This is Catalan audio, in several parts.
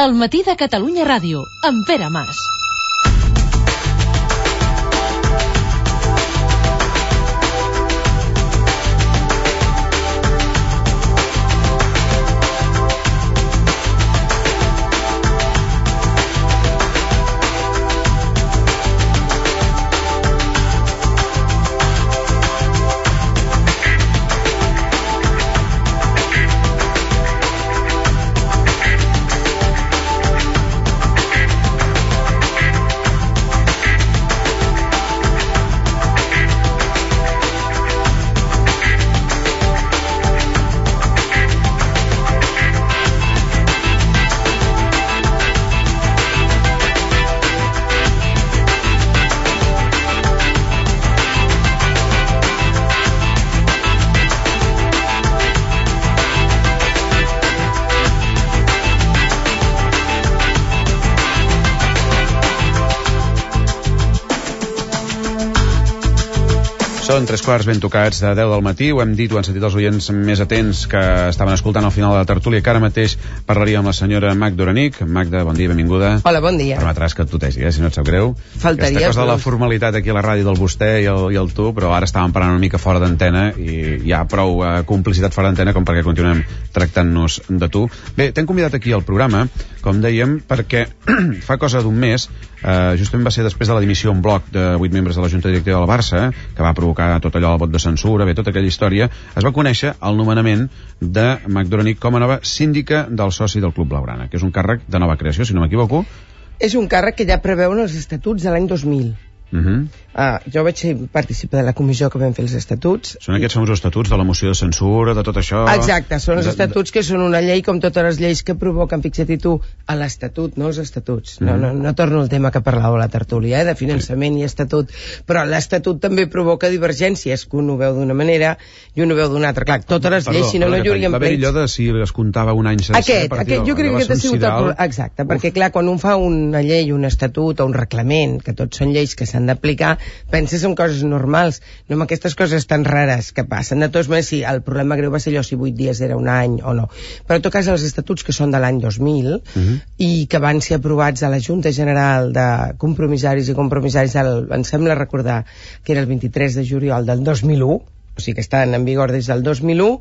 El matí de Catalunya Ràdio, amb Pere Mas. Són 3 quarts ben tocats de 10 del matí, ho hem dit, ho han sentit els oients més atents que estaven escoltant al final de la tertúlia, que ara mateix parlaria amb la senyora Magda Orenic. Magda, bon dia, benvinguda. Hola, bon dia. Permetràs que et tutegi, si no et sap greu. Faltaria. Aquesta cosa de la formalitat aquí a la ràdio del vostè i el tu, però ara estàvem parlant una mica fora d'antena i hi ha prou complicitat fora d'antena com perquè continuem tractant-nos de tu. Bé, t'hem convidat aquí al programa, com dèiem, perquè fa cosa d'un mes, justament va ser després de la dimissió en bloc de 8 membres de la Junta Directiva del Barça, que va provocar tot allò, el vot de censura, bé, tota aquella història, es va conèixer el nomenament de Magda Orenic com a nova síndica del soci del Club Blaugrana, que és un càrrec de nova creació, si no m'equivoco. És un càrrec que ja preveuen els estatuts de l'any 2000. Jo vaig participar de la comissió que vam fer els estatuts. Són aquests famosos estatuts de la moció de censura, de tot això. Exacte, són els estatuts que són una llei com totes les lleis que provoquen, fixa't tu, a l'estatut, no els estatuts. No torno al tema que parlàveu a la tertúlia, de finançament i estatut, però l'estatut també provoca divergències, que un ho veu d'una manera i un ho veu d'una altra. Clar, totes les lleis, si no, no hi hauríem plets. Va haver allò de si es comptava un any sencer. Aquest, jo crec que aquest ha sigut el problema. Exacte, perquè clar, quan un fa una llei, un estatut o un reglament, que tots són lleis que s'han d'aplicar, penses en coses normals, no en aquestes coses tan rares que passen. De totes maneres, sí, el problema greu va ser allò si 8 dies era un any o no. Però en tot cas, els estatuts que són de l'any 2000 i que van ser aprovats a la Junta General de Compromissaris i Compromissaris, em sembla recordar que era el 23 de juliol del 2001, o sigui que estan en vigor des del 2001,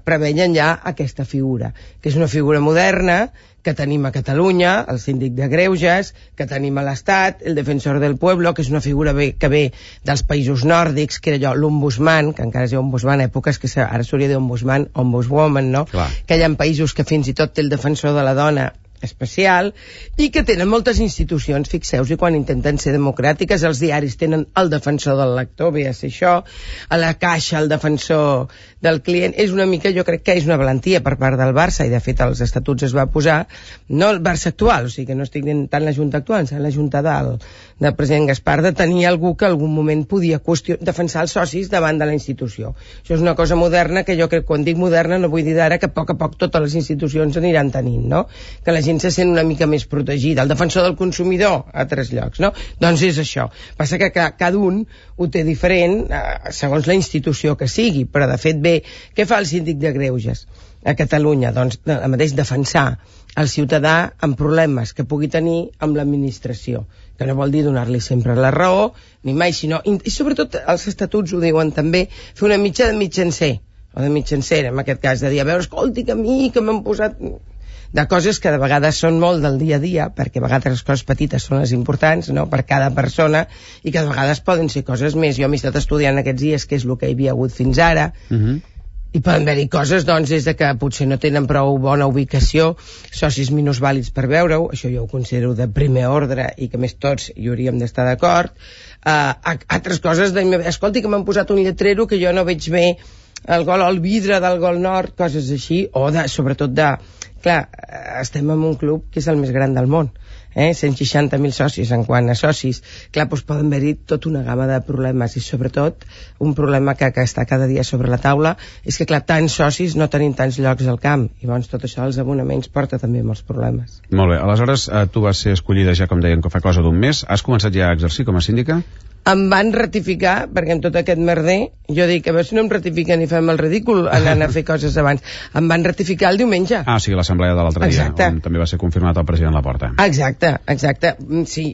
preveien ja aquesta figura, que és una figura moderna, que tenim a Catalunya, el síndic de Greuges, que tenim a l'Estat, el defensor del pueblo, que és una figura que ve dels països nòrdics, que era allò, l'ombudsman, que encara es diu ombudsman, èpoques que ara s'hauria de dir ombudsman, ombudswoman, no? Clar. Que hi ha països que fins i tot té el defensor de la dona especial, i que tenen moltes institucions, fixeu-vos, i quan intenten ser democràtiques, els diaris tenen el defensor del lector, ve a ser això, a la Caixa el defensor del client. És una mica, jo crec que és una valentia per part del Barça, i de fet als estatuts es va posar, no el Barça actual, o sigui que no estic dient tant la Junta actual, sinó la Junta del president Gaspar, de tenir algú que en algun moment podia defensar els socis davant de la institució. Això és una cosa moderna que jo crec, quan dic moderna, no vull dir d'ara que a poc totes les institucions aniran tenint, no? Que la gent se sent una mica més protegida. El defensor del consumidor a 3 llocs, no? Doncs és això. Passa que cada un ho té diferent segons la institució que sigui, però de fet bé, què fa el síndic de Greuges a Catalunya? Doncs el mateix, defensar el ciutadà amb problemes que pugui tenir amb l'administració, que no vol dir donar-li sempre la raó, ni mai, sinó, i sobretot els estatuts ho diuen també, fer una mitja de mitjancer, o de mitjancera, en aquest cas, de dir, a veure, escolti, que a mi, que m'han posat de coses que de vegades són molt del dia a dia, perquè a vegades les coses petites són les importants, no?, per cada persona, i que de vegades poden ser coses més. Jo m'he estat estudiant aquests dies què és el que hi havia hagut fins ara, i poden haver-hi coses, doncs, des de que potser no tenen prou bona ubicació, socis minusvàlids per veure-ho, això jo ho considero de primer ordre, i que més tots hi hauríem d'estar d'acord. Altres coses, escolti, que m'han posat un lletrero que jo no veig bé el vidre del Gol Nord, coses així, o sobretot clar, estem en un club que és el més gran del món, 160.000 socis. En quant a socis, clar, doncs poden haver-hi tota una gamma de problemes, i sobretot un problema que està cada dia sobre la taula és que, clar, tants socis no tenim tants llocs al camp, i llavors tot això als abonaments porta també molts problemes. Molt bé, aleshores tu vas ser escollida ja, com deien, que fa cosa d'un mes. Has començat ja a exercir com a síndica? em van ratificar, perquè amb tot aquest merder, jo dic, a veure si no em ratifiquen i fem el ridícul anant a fer coses abans. Em van ratificar el diumenge. Ah, sí, l'assemblea de l'altre dia, on també va ser confirmat el president Laporta. Exacte. Sí,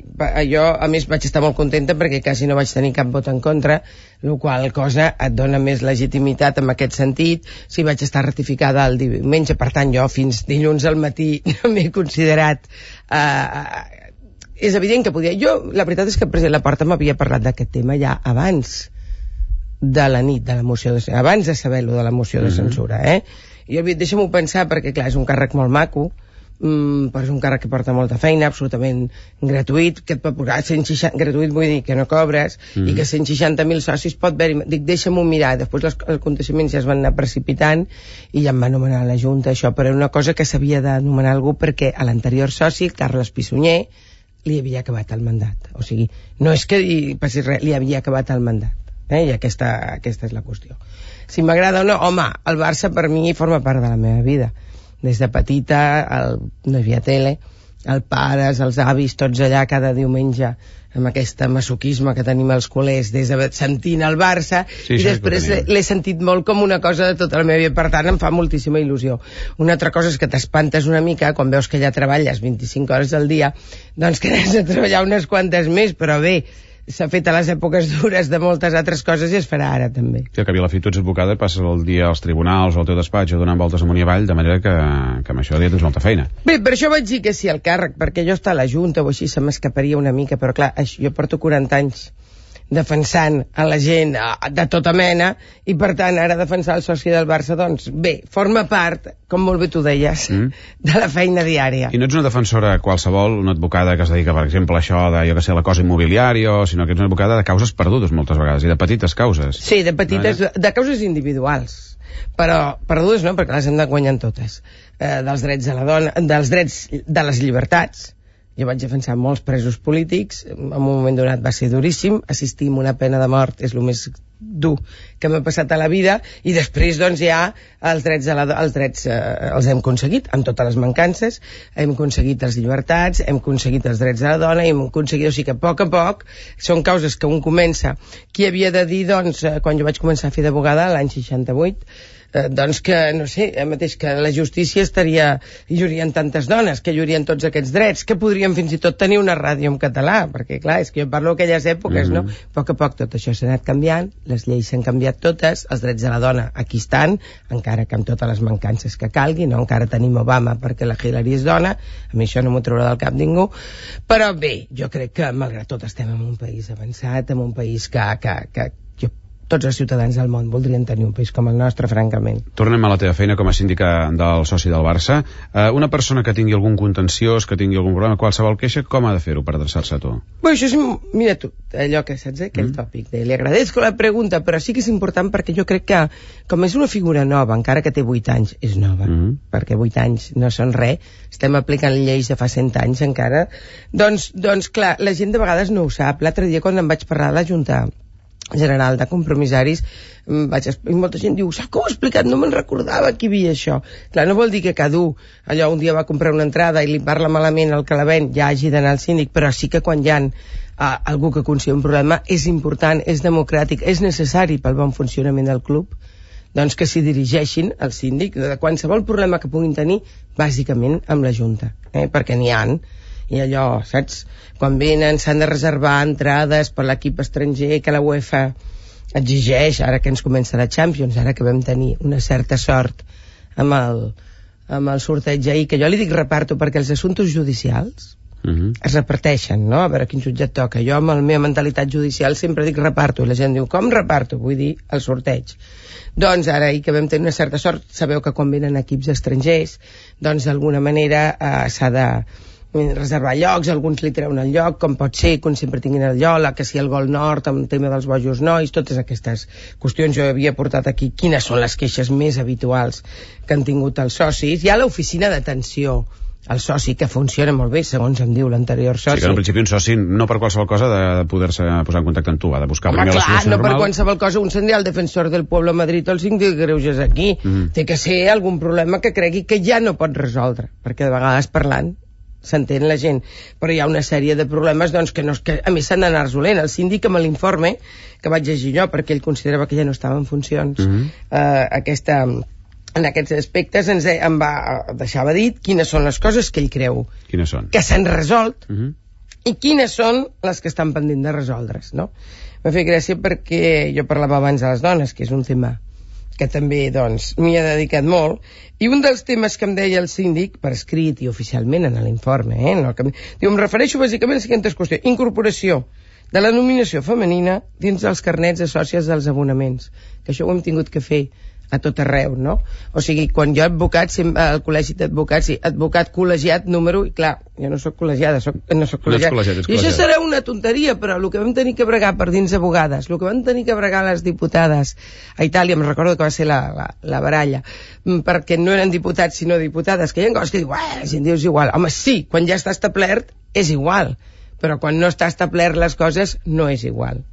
jo, a més, vaig estar molt contenta perquè quasi no vaig tenir cap vot en contra, la qual cosa et dona més legitimitat en aquest sentit. Sí, vaig estar ratificada el diumenge, per tant, jo fins dilluns al matí no m'he considerat... És evident que podia... La veritat és que el president Laporta m'havia parlat d'aquest tema ja abans de la nit de la moció de censura, abans de saber-lo de la moció de censura, I jo havia dit, deixa'm-ho pensar, perquè clar, és un càrrec molt maco, però és un càrrec que porta molta feina, absolutament gratuït, que et pot posar 160... Gratuït vull dir que no cobres, i que 160.000 socis pot haver-hi... Dic, deixa'm-ho mirar. Després els aconteixements ja es van anar precipitant i ja em va anomenar la Junta, això, però era una cosa que s'havia d'anomenar algú perquè a l'anterior soci, Carles Pissunyer, li havia acabat el mandat. O sigui, no és que passés res, li havia acabat el mandat. I aquesta és la qüestió. Si m'agrada o no, home, el Barça per mi forma part de la meva vida. Des de petita, no hi havia tele, els pares, els avis, tots allà cada diumenge amb aquest masoquisme que tenim els culers sentint el Barça, i després l'he sentit molt com una cosa de tota la meva vida, per tant em fa moltíssima il·lusió. Una altra cosa és que t'espantes una mica quan veus que ja treballes 25 hores al dia, doncs que has de treballar unes quantes més, però bé, s'ha fet a les èpoques dures de moltes altres coses i es farà ara també. Sí, que a Vilafit tu ets advocada i passes el dia als tribunals o al teu despatx donant voltes amunt i avall, de manera que amb això ja tens molta feina. Bé, per això vaig dir que sí al càrrec, perquè jo estar a la Junta o així se m'escaparia una mica, però clar, jo porto 40 anys defensant a la gent de tota mena, i per tant ara defensar el soci del Barça, doncs bé, forma part, com molt bé tu deies, de la feina diària. I no ets una defensora qualsevol, una advocada que es dedica, per exemple, a això de, jo que sé, la cosa immobiliària, sinó que ets una advocada de causes perdudes moltes vegades, i de petites causes. Sí, de petites, de causes individuals, però perdudes no, perquè les hem de guanyar totes. Dels drets de la dona, dels drets de les llibertats. Jo vaig defensar molts presos polítics, en un moment donat va ser duríssim, assistir a una pena de mort és el més dur que m'ha passat a la vida, i després doncs ja els drets els hem aconseguit, amb totes les mancances, hem aconseguit les llibertats, hem aconseguit els drets de la dona, i hem aconseguit, o sigui que a poc són causes que un comença. Qui havia de dir, doncs, quan jo vaig començar a fer d'abogada l'any 68, doncs que, no sé, mateix que la justícia estaria, hi haurien tantes dones, que hi haurien tots aquests drets, que podríem fins i tot tenir una ràdio en català, perquè clar, és que jo parlo d'aquelles èpoques, no? A poc tot això s'ha anat canviant, les lleis s'han canviat totes, els drets de la dona aquí estan, encara que amb totes les mancances que calgui, no? Encara tenim Obama perquè la Hillary és dona, a mi això no m'ho traurà del cap ningú, però bé, jo crec que malgrat tot estem en un país avançat, en un país que tots els ciutadans del món voldrien tenir un país com el nostre, francament. Tornem a la teva feina com a síndica del soci del Barça. Una persona que tingui algun contenciós, que tingui algun problema, qualsevol queixa, com ha de fer-ho per adreçar-se a tu? Bé, això és, mira tu, allò que saps, aquell tòpic de li agradezco la pregunta, però sí que és important perquè jo crec que, com és una figura nova, encara que té 8 anys, és nova, perquè 8 anys no són res, estem aplicant lleis de fa 100 anys encara, doncs clar, la gent de vegades no ho sap. L'altre dia quan em vaig parlar a la Junta General de Compromissaris, i molta gent diu, saps que ho he explicat? No me'n recordava que hi havia això. Clar, no vol dir que cada allò un dia va comprar una entrada i li parla malament el que la ven, ja hagi d'anar al síndic, però sí que quan hi ha algú que considera un problema és important, és democràtic, és necessari pel bon funcionament del club, doncs que s'hi dirigeixin al síndic de qualsevol problema que puguin tenir, bàsicament amb la Junta, perquè n'hi ha. I allò, saps? Quan venen s'han de reservar entrades per l'equip estranger que la UEFA exigeix, ara que ens comença la Champions, ara que vam tenir una certa sort amb el sorteig ahir, que jo li dic reparto perquè els assumptes judicials es reparteixen, no? A veure quin jutge et toca. Jo amb la meva mentalitat judicial sempre dic reparto, i la gent diu, com reparto? Vull dir, el sorteig. Doncs ara, ahir que vam tenir una certa sort, sabeu que quan venen equips estrangers, doncs d'alguna manera s'ha de reservar llocs, alguns li treuen el lloc, com pot ser, com sempre tinguin el lloc, que si el Gol Nord, amb el tema dels bojos nois, totes aquestes qüestions. Jo havia portat aquí quines són les queixes més habituals que han tingut els socis. Hi ha l'oficina d'atenció al soci, que funciona molt bé, segons em diu l'anterior soci. Sí, que en principi un soci, no per qualsevol cosa, de poder-se posar en contacte amb tu, ha de buscar primer la solució normal. No per qualsevol cosa, un se'n dirà al defensor del Pueblo a Madrid o el síndic de Greuges aquí. Té que ser algun problema que cregui que ja no pot resoldre, perquè de vegades parlant s'entén la gent, però hi ha una sèrie de problemes doncs, que a més s'han d'anar resolent. El síndic, amb l'informe que vaig llegir jo, perquè ell considerava que ja no estava en funcions, en aquests aspectes em deixava dit quines són les coses que ell creu que s'han resolt i quines són les que estan pendent de resoldre's, no? M'ha fet gràcia perquè jo parlava abans de les dones, que és un tema que també doncs m'hi he dedicat molt, i un dels temes que em deia el síndic, per escrit i oficialment en l'informe, diu, em refereixo bàsicament a les següents qüestions: incorporació de la nominació femenina dins dels carnets de sòcies dels abonaments, que això ho hem tingut que fer a tot arreu, no? O sigui, quan jo advocat, al col·legi d'advocats, sí, advocat col·legiat número, i clar, jo no soc col·legiada, no soc col·legiat. I això serà una tonteria, però el que vam tenir que bregar per dins abogades, el que van tenir que bregar les diputades a Itàlia, em recordo que va ser la baralla, perquè no eren diputats sinó diputades, que hi ha coses que diu, si en dius igual. Home, sí, quan ja està establert és igual, però quan no està establert les coses no és igual.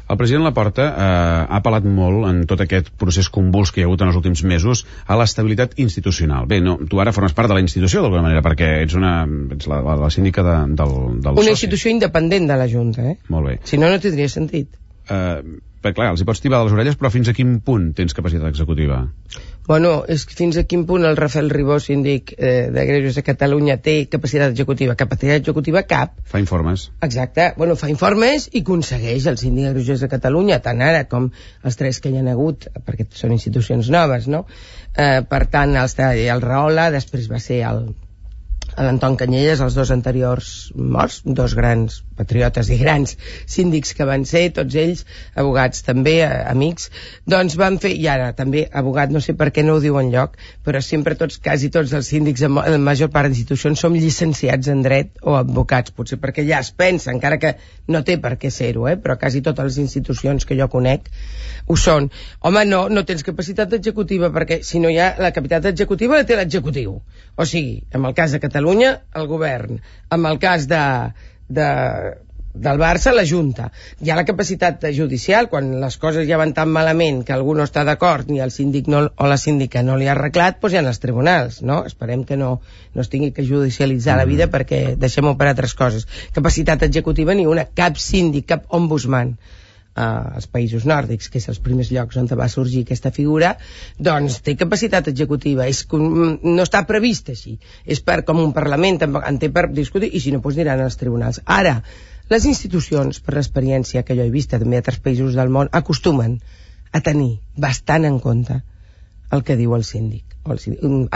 El president Laporta ha apel·lat molt en tot aquest procés convuls que hi ha hagut en els últims mesos a l'estabilitat institucional. Bé, no, tu ara formes part de la institució d'alguna manera, perquè ets la síndica del soci. Una institució independent de la Junta, Molt bé. Si no, no tindria sentit. Perquè clar, els hi pots tibar de les orelles, però fins a quin punt tens capacitat executiva? Bueno, és fins a quin punt el Rafael Ribó, síndic de Greuges de Catalunya, té capacitat executiva? Capacitat executiva cap. Fa informes. Exacte. Bueno, fa informes i aconsegueix el síndic de Greuges de Catalunya, tant ara com els 3 que hi ha hagut, perquè són institucions noves, no? Per tant, el Rahola, després va ser l'Anton Canyelles, els 2 anteriors morts, 2 grans patriotes i grans síndics que van ser, tots ells abogats també, amics, doncs van fer, i ara també abogat, no sé per què no ho diu enlloc, però sempre quasi tots els síndics en la major part d'institucions som llicenciats en dret o advocats, potser perquè ja es pensa, encara que no té per què ser-ho, però quasi totes les institucions que jo conec ho són. Home, no tens capacitat executiva, perquè si no hi ha la capacitat executiva la té l'executiu, o sigui, en el cas de Catalunya, el govern, en el cas del Barça, la Junta. Hi ha la capacitat judicial, quan les coses ja van tan malament que algú no està d'acord, ni el síndic o la síndica no li ha arreglat, doncs hi ha els tribunals, no? Esperem que no es tingui que judicialitzar la vida, perquè deixem-ho per altres coses. Capacitat executiva ni una, cap síndic, cap ombudsman als països nòrdics, que és els primers llocs on va sorgir aquesta figura, doncs té capacitat executiva, no està previst així, és com un Parlament en té per discutir, i si no, doncs aniran als tribunals. Ara, les institucions, per l'experiència que jo he vist també a altres països del món, acostumen a tenir bastant en compte el que diu el síndic. A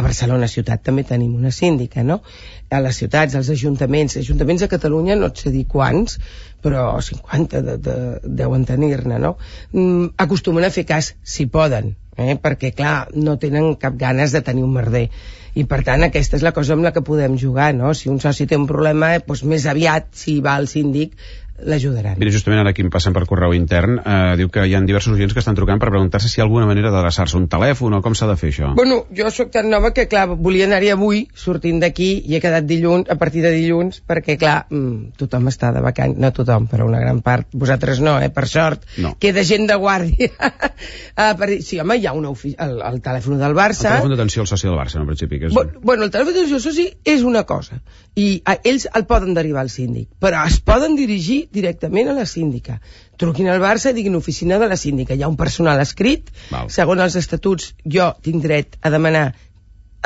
Barcelona ciutat també tenim una síndica, no? A les ciutats, als ajuntaments a Catalunya no et sé dir quants, però 50 deuen tenir-ne, no? Acostumen a fer cas si poden, perquè clar, no tenen cap ganes de tenir un merder, i per tant aquesta és la cosa amb la que podem jugar, no? Si un soci té un problema, doncs més aviat, si va al síndic, l'ajudaran. Mira, justament ara aquí em passen per correu intern, diu que hi ha diversos oients que estan trucant per preguntar-se si hi ha alguna manera d'adreçar-se un telèfon o com s'ha de fer això. Bueno, jo sóc tan nova que, clar, volia anar-hi avui, sortint d'aquí, i he quedat dilluns, a partir de dilluns, perquè, clar, tothom està de vacances, no tothom, però una gran part, vosaltres no, per sort, no. Queda gent de guàrdia. Sí, home, hi ha el telèfon del Barça. El telèfon d'atenció al soci del Barça, en principi. Que és... Bueno, el telèfon d'atenció al soci és una cosa, i ells el poden derivar al síndic, però es poden dirigir directament a la síndica. Truquin al Barça i diguin oficina de la síndica. Hi ha un personal escrit. Segons els estatuts, jo tinc dret a demanar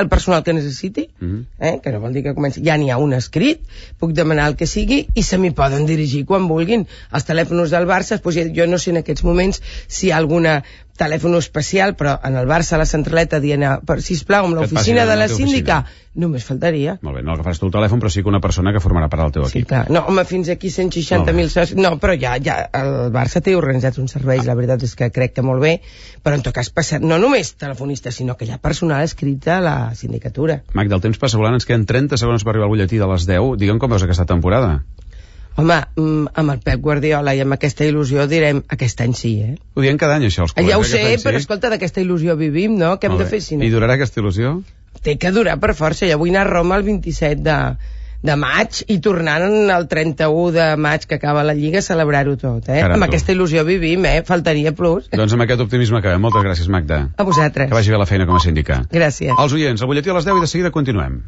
el personal que necessiti, que no vol dir que comenci. Ja n'hi ha un escrit, puc demanar el que sigui i se m'hi poden dirigir quan vulguin. Els telèfons del Barça, doncs jo no sé en aquests moments si hi ha alguna telèfon especial, però en el Barça, a la centraleta, dient, sisplau, amb l'oficina de la síndica, només faltaria. Molt bé, no agafaràs tu el telèfon, però sí que una persona que formarà part del teu equip. Sí, clar. No, home, fins aquí 160.000 socis. No, però ja el Barça té organitzats uns serveis, la veritat és que crec que molt bé, però en tot cas passa, no només telefonistes, sinó que hi ha personal escrit a la sindicatura. Magda, el temps passa volant, ens queden 30 segons per arribar al butlletí de les 10. Digue'm com veus aquesta temporada. Home, amb el Pep Guardiola i amb aquesta il·lusió direm aquest any sí, Ho diem cada any, això, els col·legues. Ja ho sé, però escolta, d'aquesta il·lusió vivim, no? Què hem de fer si no? I durarà aquesta il·lusió? Té que durar per força. Jo vull anar a Roma el 27 de maig i tornant el 31 de maig que acaba la Lliga a celebrar-ho tot, Caram, amb aquesta il·lusió vivim, faltaria plus. Doncs amb aquest optimisme acabem. Moltes gràcies, Magda. A vosaltres. Que vagi bé la feina com a síndica. Gràcies. Els oients, al butlletí a les 10 i de seguida continuem.